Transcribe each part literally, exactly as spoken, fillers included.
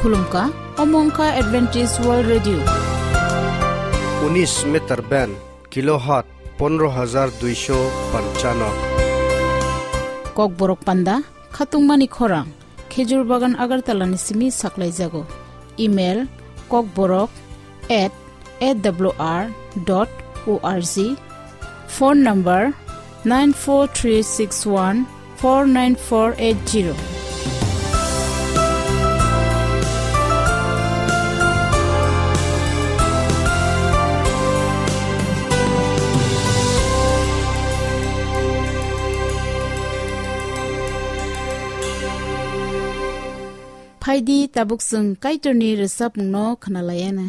Khulumkha, omo wngkha Adventist World Radio. Unis meter band, kilohertz pondro hajar duisho panchano. Kokborok panda, khatungmani khorang, Khejur Bagan Agartala ni simi saklaijago. Email, kokborok at A W R dot O R G. Phone number nine four three six one four nine four eight zero. Phaidi tabuk chwng Kaitorni rwchapmungno khwnalaiana.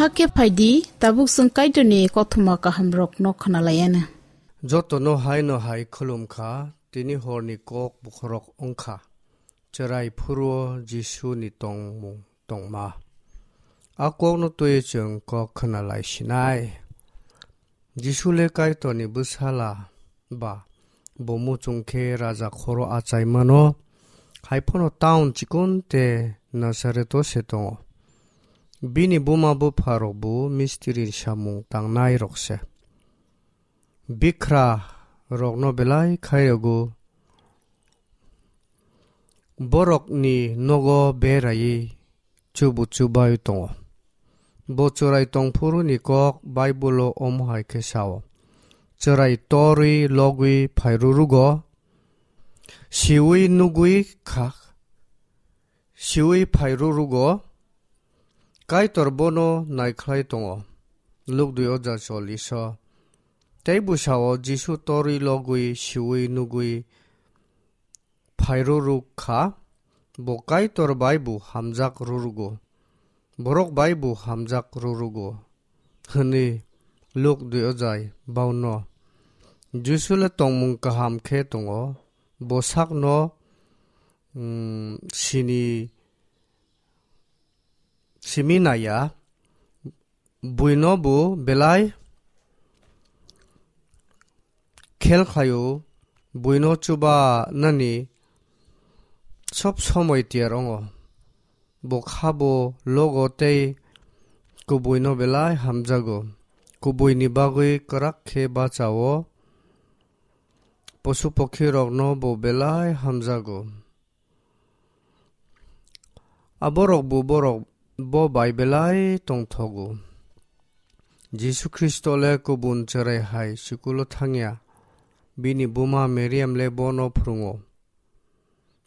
Hakhe phaidi, tabuk chwng Kaitorni kothoma kahamrokno khwnalaianw. Jotono haino hai khulum kha, tini horni kok bokhorok wng kha. Chwrai phuru-o Jisuni tongmung tongma. A kokno twiwi chwng kok khwnalai sinai. Jisu le Kaitorni bwsala ba, bo muchung khe raja khoro achaimano, hai phano town chikon tei Nasareto se tongo. Bini buma bupharokbo mistiri samung tangnai rok se. Bikra rokno belai khairokgo, borokni nogo beraiwi chubu chubai tongo. Bo chwrai tongphuruni kok Baibolo omo hai khe sao, "Chwrai torwi logwi phairurugo, siwi nugwi kha, siwi phairurugo, Kaitor bono naikhlai tongo." Luk dui oja cholliso. Tei bwsao Jisu torwi logwi siwi nugwi phairuruk kha, bo Kaitor bai bo hamjak rurugo, borok bai bo hamjak rurugo, hwnwi Luk dui ojai bauno. Jisu le tongmung kaham khe tongo, bo sakno, mm, sini simi naiya, buino bo belai khel khlaio, buino chuba nani sob somoi tiyar ongo. Bo khabo logo tei kubuino belai hamjago. Kubuini bagwi kwrak khe bachao, posu pokhirokno bo belai hamjago. Aborok bo borok bo bai belai tongthogo. Jisu Khristo le kubun chwrai hai sikulo thangya. Bini buma Meriam le bono phrwngo.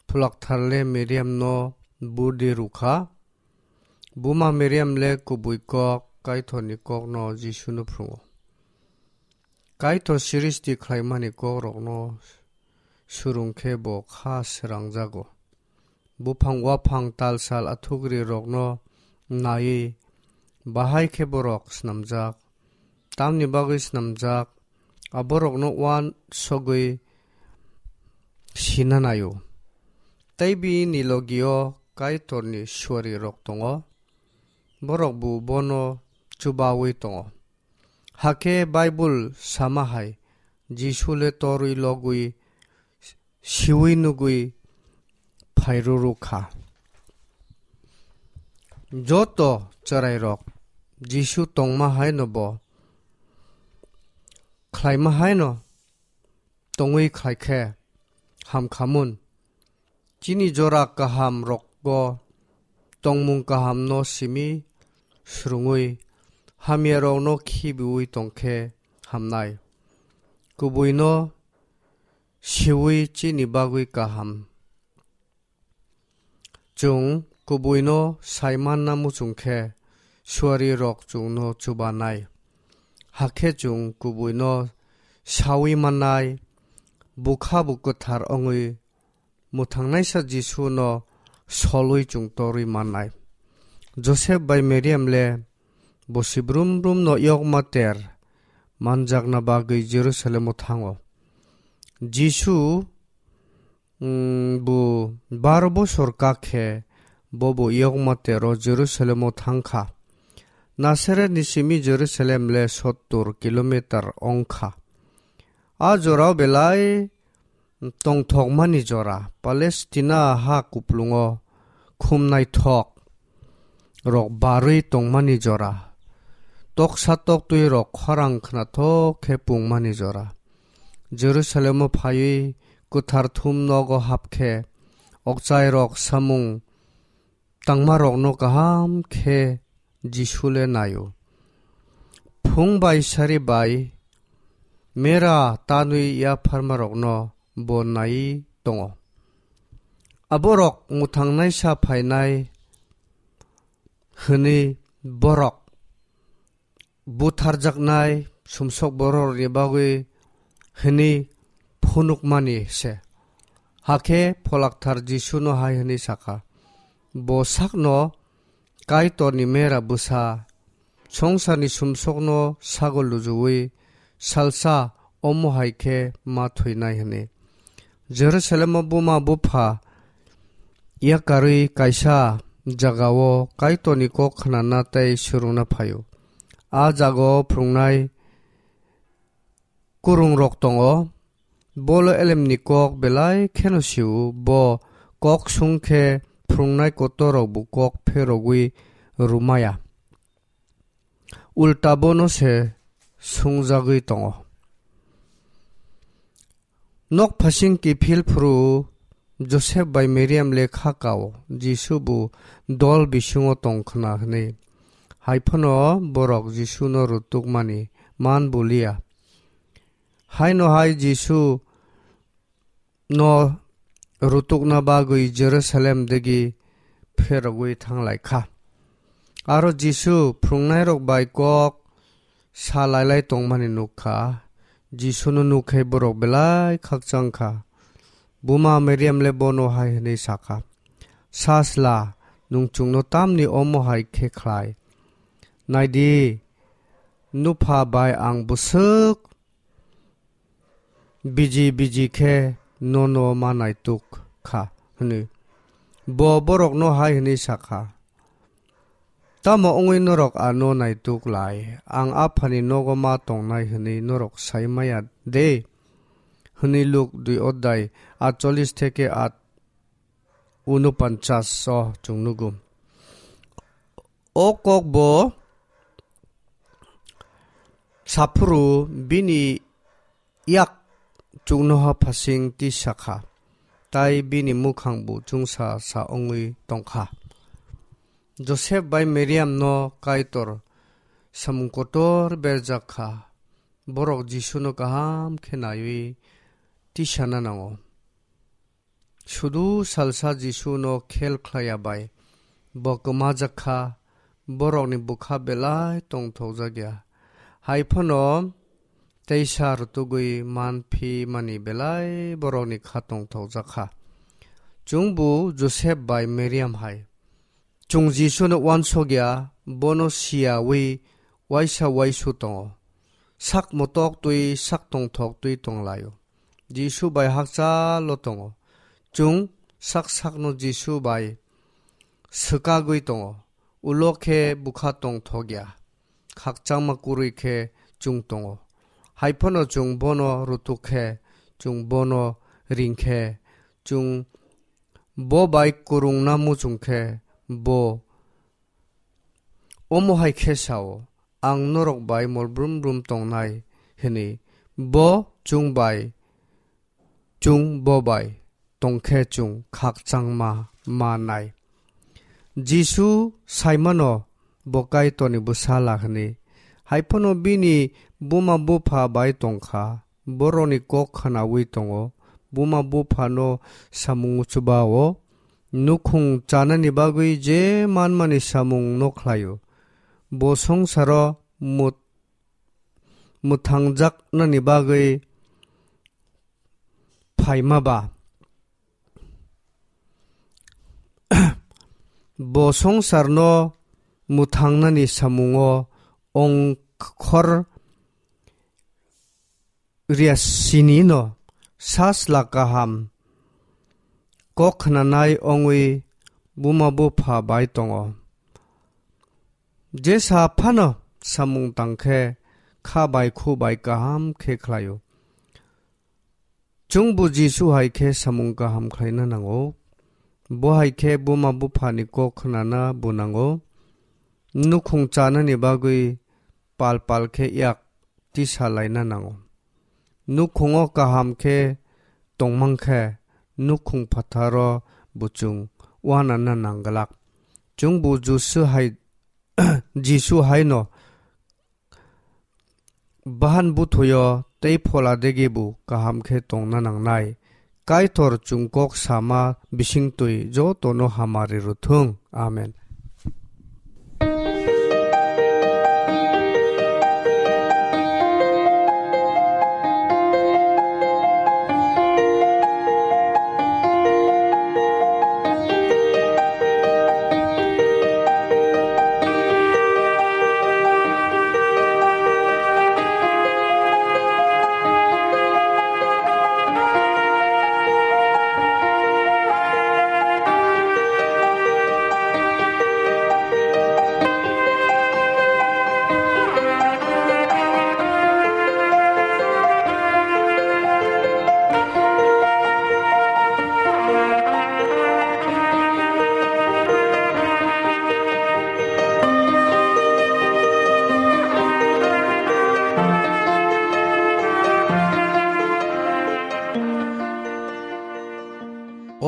Pholakthar le Meriamno burdi rwkha. Buma Meriam le kubui kok, Kaitorni kokno Jisuno phrwngo. Kaitor srishti khlaimani kokrokno surung khe bo kha srangjago. Buphang waphang talsal athukri rokno naiwi bahai khe borok snamjak. Tamni bagwi snamjak, aborokno uansugwi sina naio. Tei bini logio Kaitorni suarirok tongo, borok bo bono chubawi tongo. Hakhe Baibul sama hai, Jisu le torwi logwi siwi nugwi phairuruk kha. Joto chwrairok Jisu tongma haino bo khlaima haino tongwi khlai khe hamkhamun. Chini jora kaham rokgo tongmung kahamno simi srwngwi hamyarokno khibiwi tongkhe hamnai. Kubuino siwi chini bagwi kaham. Chwng kubuino saimanna muchung khe suarirok chwngno chubanai. Hakhe chwng kubuino sawi mannai, bukha bo kwthar wngwi mwthangnaisa Jisuno solwi chwng torwi mannai. Josep bai Meriam le bosi brum brumno yokma ter manjakna bagwi Jerusalemo thango. Jisu, mm, bo baro bosor kak khe bo bo yokma tero Jerusalemo thang kha. Nasaretni simi Jerusalem le sottor kilometer wng kha. A jorao belai tongthokmani jora, Palestina ha kuplungo khum naithok rok barwi tongmani jora, toksa toktwi rok khorang khnathok khe pungmani jora. Jerusalemo phaiwi kwthar thum nogo hap khe, okchai rok samung tangmarokno kaham khe Jisu le naio. Phung bai sari bai mera tanwi yapharmarokno bo naiwi tongo. Aborok mwthangnaisa phainai hwnwi borok butharjaknai sumsok bororokni bagwi hwnwi phunukmani se. Hakhe Pholakthar Jisuno hai hwnwi sakha, "Bo sakno Kaitorni mera bwsa songsarni sumsokno sagol lujuwi salsa omo hai khe ma thwinai hwnwi. Jerusalemo buma bupha yakarwi kaisa jagao Kaitorni kok khnana tei swrwngna phaio. A jagao phrwngnai kwrwngrok tongo. Bolo elemni kok belai kheno sio, bo kok sung khe phrwngnai kotorrokbo kok pherogwi rwmaya. Ulta bono se sungjagwi tongo. Nok phasing kiphil phuru Josep bai Miriam le kha kao, Jisu bo dol bisingo tong khna hwnwi. Hai phano borok Jisuno rutukmani man bulia. Haino hai Jisu no rutukna bagwi Jerusalem degi pherogwi thanglai kha. Aro Jisu phrwngnairok bai kok sa lailai tongmani nuk kha. Jisuno nuk khe borok belai khakchang kha. Buma Miriam le bono hai hwnwi sa kha, "Sajla, nwng chwngno tamni omo hai khe khlai? Nai di, nupha bai ang bwswk biji biji khe nono ma naituk kha," hwnwi. Bo borokno hai hwnwi sa kha, "Tamo wngwi norok ano naituk lai? Ang Aphani nogo ma tongnai hwnwi norok sai maya de?" Hwnwi Luk dui odhai atchollish theke at unopanchas o chwng nugo. O kok bo saphuru bini yak chuknoha phasing tisa kha, tai bini mukhang bo chungsa sa wngwi tong kha. Josep bai Miriam no Kaitor samung kotor berjak kha, borok Jisu no kaham khe naiwi tisana nango. Sudu salsa Jisu no khel khlaiya bai bo kwmajak kha, borokni bwkha belai tongthokjak ya. Hai phano teisa rwtugwi man phi mani belai borokni kha tongthokjak kha. Chwngbo Josep bai Miriam hai. Chwng Jisuno uansuk ya, bono siyawi uaisa uaisu tongo. Sak motok twi, sak tongthok twi tonglaio. Jisu bai hakchalo tongo. Chwng sak sakno Jisu bai swkagwi tongo. Ulo khe bwkha tongthok ya. Khakchangma kwrwi khe chwng tongo. Hai phano chwng bono rutuk khe, chwng bono ring khe, chwng bo bai kwrwngna muchung khe, bo omo hai khe sao, "Ang norok bai mol brum brum tongnai," hwnwi. Bo chwng bai, chwng bo bai tong khe chwng khakchangma manai. Jisu saimano bo Kaitorni bwsala hwnwi, hai phano bini buma bupha bai tong kha. Borokni kok khnaui tongo, buma buphano samung chubao, nukhung chanani bagwi je manmani samung no khlaio. Bo songsaro mut-, mwthangjaknani bagwi phaima ba? Bo songsarno mwthangnani samungo ongkhor riyasinino sajla kaham kok khnanai ongwi buma bupha bai tongo. Jesa phano samung tangkhe kha bai khu bai kaham khe khlaio. Chwngbo Jisu hai khe samung kaham khlaina nango. Bo hai khe buma buphani kok khnana bo nango. Nukhung chanani bagwi pal pal khe yak tisa laina nango. Nukhungo kaham khe tongmang khe nukhung phatharo bo chwng uanana nangglak. Chwngbo Jisu hai, Jisu haino bahan buthuyo tei phola degi bo kaham khe tongna nangnai. Kaitor chwng kok sama bisingtwi jotono hamari rwthung. Amen.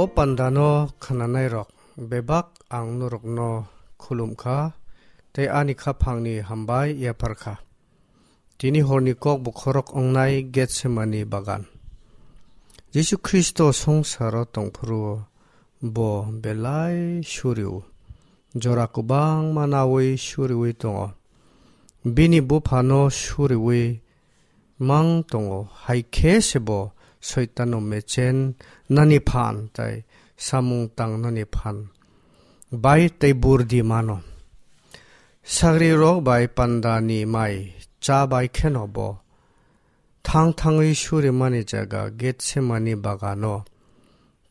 O pandano khwnanairok bebak ang norokno khulum kha, tei ani khaphangni hambai yaphar kha. Tini horni kok bokhorok wngnai Getsemani bagan. Jisu Khristo songsaro tongphuru bo belai suri-o. Jora kwbangma naui suriui tongo. Bini buphano suriui mang tongo, hai khe se bo Soitano mechen nani phan tei samung tangnani phan bai tei burdi mano. Sagrirok bai pandani mai cha bai kheno bo thang thangwi surimani jaga Getsemani bagano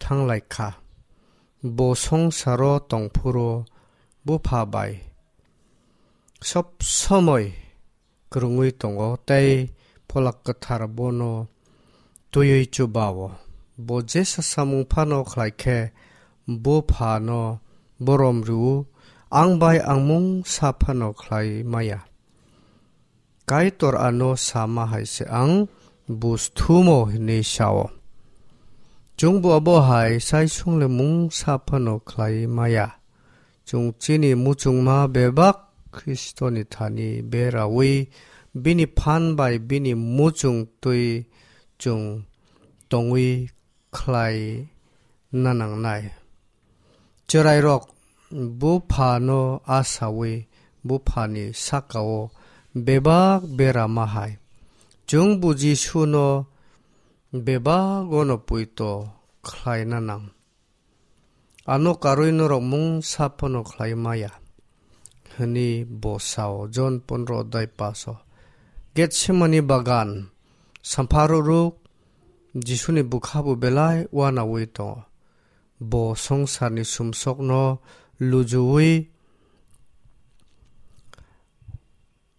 thanglai kha. Bo songsaro tongphuru bupha bai sob somoi kwrwngwi tongo tei Pholak Kwthar bono twiwi chubao. Bo jesa samung phano khlai khe buphano borom rw-o, ang bai ang mungsa phano khlai maya. Kaitor ano sama hai se ang bus thumo hinwi sao. Chwngbo abo hai sai sungle mungsa phano khlai maya. Chwng chini muchungma bebak Khristoni thani beraui bini phan bai bini muchung twi chwng tongwi khlai nanangnai. Chwrairok buphano asaui buphani sakao bebak berama hai. Chwng bo Jisuno bebagono puito khlaina nang. Ano karwi norok mungsa phano khlai maya, hwnwi bo sao. Jon pondro adai paso. Getsemani bagan sampha ruruk Jisuni bwkha bo belai uanaui tongo. Bo songsarni sumsokno lujuui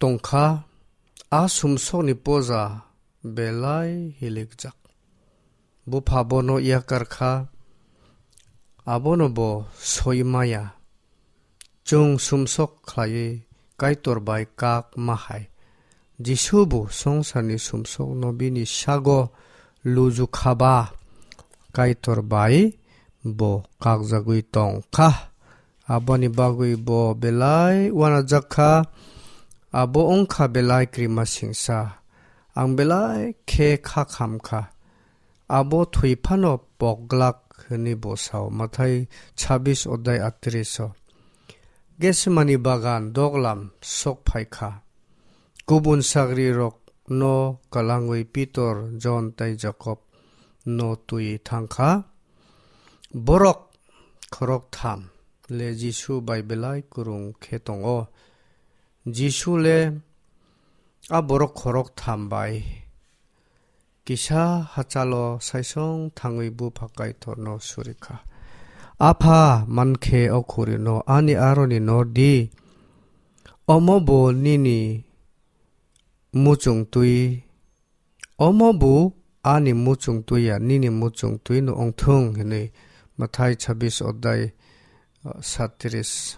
tongkha, a sumsokni poja belai hilikjak. Bupha bono yakar kha, abono bo soi maya. Chwng sumsok khlaiwi Kaitor bai kak ma hai. Jisu bo songsarni sumsokno bini sago luju kha ba Kaitor bai bo kakjagwi tong kha. Aboni bagwi bo belai uanajak kha. Abo wng kha belai krima singsa. Ang belai khe kha kham kha. Abo thwi phano pok glak hwnwi bo sao. Mathai chabbish odai atris o. Getsemani bagan doglam sok phai kha. Kubun sagrirokno kalangwi Pitor, Jon tei Jakob no twi thang kha. Borok khoroktham le Jisu bai belai kwrwng khe tongo. Jisu le a borok khoroktham bai kisa hachalo saisong thangwi bupha Kaitorno suri kha. Apha, mankhe o khurino ani aroni nor di. Omo bo nini muchung twi, omo bo ani muchung twi ya nini muchung twi no ongthung hinwi. Mathai chabbish odai, ah, satris.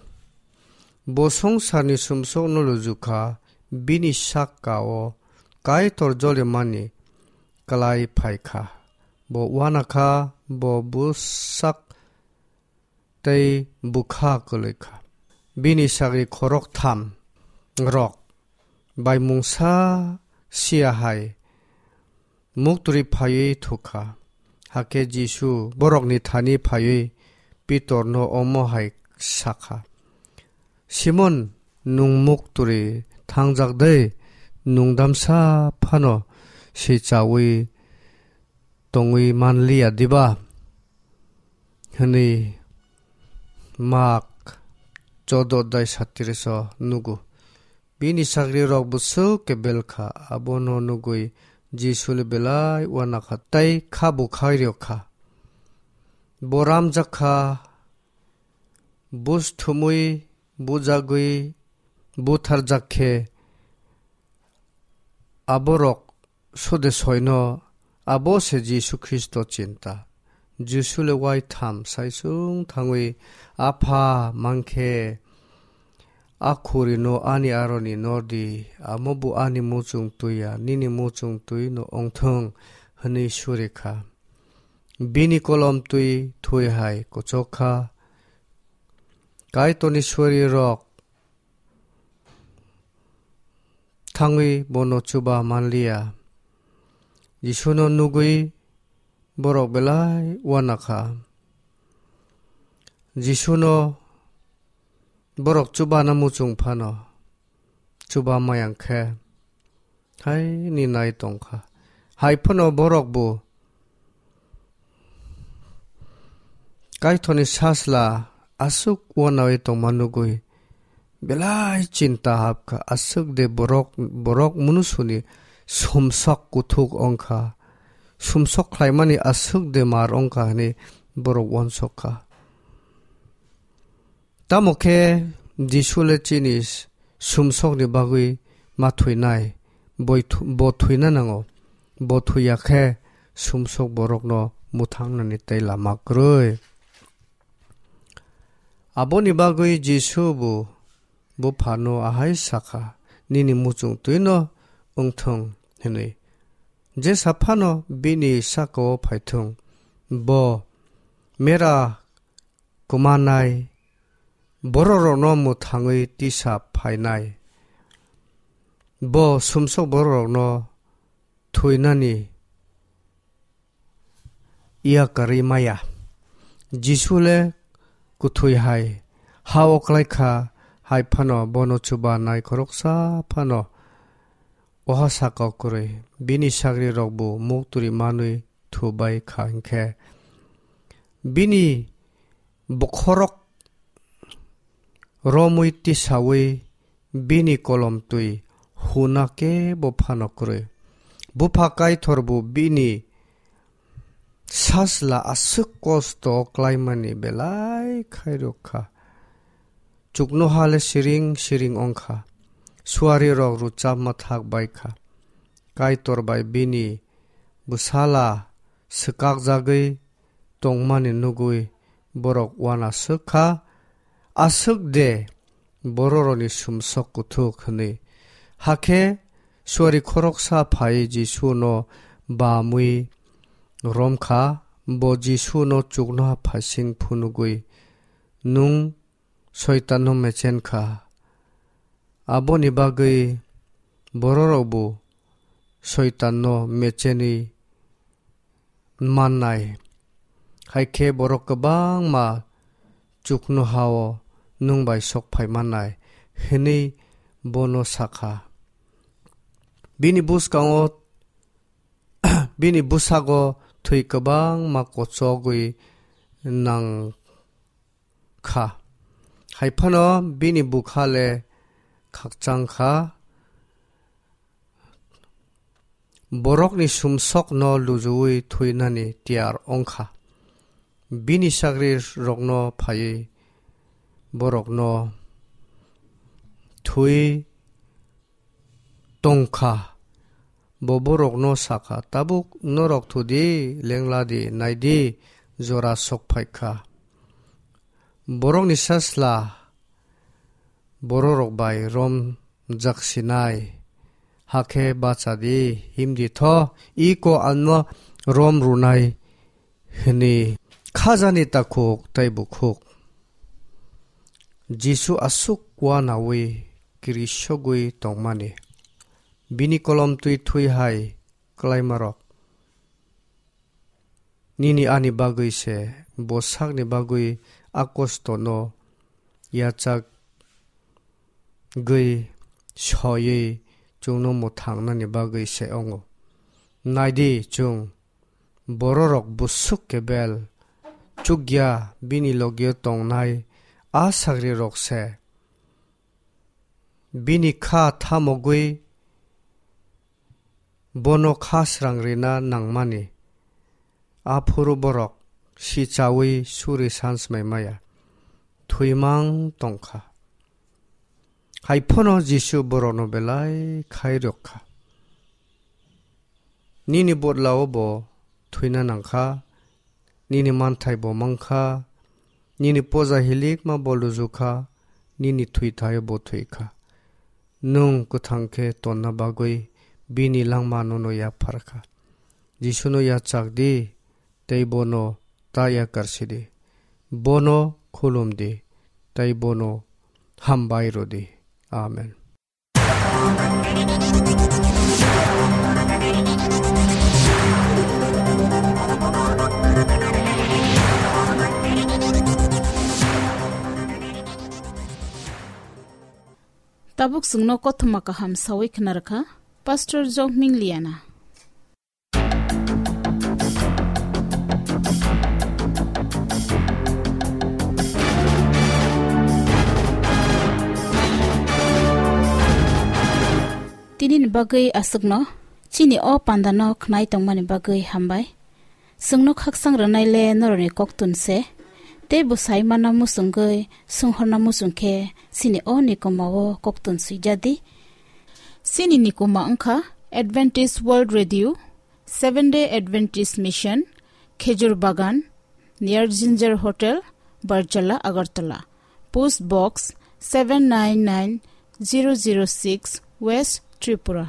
Bo songsarni sumsokno luju kha, bini sakao Kaitor jolimani klai phai kha. Bo uana kha, bo bwsak tei bwkha kwlwi kha. Bini sagri khoroktham rok bai mungsa sia hai muktwi phaiwi thuk kha. Hakhe Jisu borokni thani phaiwi Pitorno omo hai sa kha, "Simon, nwng muktwi thangjak de? Nwng damsa phano sichaui tongwi man liya diba?" hwnwi Mak choudo dai satris o nugo. Bini sagrirok bwswk khe bel kha, abono nugwi Jisuli belai uana kha tei kha bukhai rw kha. Bo ramjak kha, bus thumwi bujagwi butharjak khe, aborok sode soino abo se Jisu Khristo chinta. Jisu le waitham saisung thangwi, "Apha, mankhe a khurino ani aroni nor di, amo bo ani muchung twi ya, nini muchung twi no ongthung," hwnwi suri kha. Bini kolom twi thui hai kochok kha. Kaitorni suarirok thangwi bono chuba manliya. Jisuno nugwi borok belai uana kha. Jisuno borok chubana muchung phano chuba mayang khe haini nai tong kha. Hai phano borok bo Kaitorni sasla aswk uanaui tongma nugwi belai chinta hap kha. Aswk de borok, borok munusuni sumsok kuthuk wng kha. Sumsok khlaimani aswk de mar wng kha hwnwi borok uansuk kha. Tamo khe Jisu le chini sumsokni bagwi ma thwinai, boi thu-, bo thwina nango. Bo thwiya khe sumsok borokno mwthangnani tei lama kwrwi. Aboni bagwi Jisu bo buphano ahai sakha, "Nini muchung twino wngthung," hwnwi. Jesa phano bini saka-o phaithung, bo mera kwmanai bororokno mwthangwi tisa phainai. Bo sumsok bororokno thwinani yakarwi maya. Jisu le kwthwi hai ha-o klai kha, hai phano bono chubanai khoroksa phano oha saka kwrwi. Bini sagrirokbo muktwrwi manwi thubai kha hinkhe, bini bokhorok romwi tisaui bini kolom twi huna kebo phano kwrwi. Bupha Kaitor bo bini sasla aswk kosto klaimani belai khairok kha. Chuknoha le siring siring wng kha. Suarirok rwchapma thak bai kha. Kaitor bai bini bwsala swkakjagwi tongmani nugwi borok uanaswk kha, "Aswk de bororokni sumsok kuthuk," hwnwi. Hakhe suari khoroksa phaiwi Jisuno bamwi rom kha, bo Jisuno chuknoha phaising phunugwi, "Nwng Soitanno mechen kha." Aboni bagwi bororokbo Soitanno mechenwi mannai. Hai khe borok kwbangma chuknoha-o nwng bai sok phai mannai, hwnwi bono sa kha. Bini bwskango, bini bwsago thwi kwbangma kochogwi nang kha. Hai phano bini bwkha le khakchang kha. Borokni sumsokno lujuwi thwinani tiyar wng kha. Bini sagrirokno phaiwi borokno thwi tong kha. Bo borokno sa kha, "Tabuk norok thu di, lengla di, nai di, jora sok phai kha." Borokni sasla bororok bai romjak sinai, hakhe bacha di, him di tho, iko ano rom rwnai hwnwi khajani takhuk tei bukhuk. Jisu aswk uanaui kirisogwi tongmani. Bini kolom twi thwi hai klaimarok, nini ani bagwi se, bo sakni bagwi a kostono yachak gwi soiwi chwngno mwthangnani bagwi se wngo. Nai di, chwng bororok busuk kebel chukya bini logio tongnai a sagrirok se. Bini kha thamogwi bono kha srang rina nangmani. Aphuru borok sichaui suri sansmai maya, thwimang tong kha. Hai phano Jisu borokno belai khai rwk kha. Nini bodlao bo thwina nang kha, nini manthai bo mang kha, nini poja hilikma bo luju kha, nini thwithaio bo thwi kha. Nwng kwthang khe tonna bagwi bini langma nono yaphar kha. Jisuno yachak di, tei bono ta yakar sidi. Bono khulumdi tei bono hambai rwdi. Amen. Tabuk chwngno kothoma kaham sawi khna rwkha Pastor Jokming Liana. Tinini bagwi aswkno chini o pandano khnai tongmani bagwi hambai. Chwngno khaksang rwnaile norokni koktun se, tei bwsai mana muchungwi swnghorna muchung khe chini o nikoma o koktun swijadi. Chini nikoma wngkha Adventist World Radio, Seventh Day Adventist Mission, Khejur Bagan, near Ginger Hotel, Barjala, Agartala. Post Box seven nine nine zero zero six, West Tripura.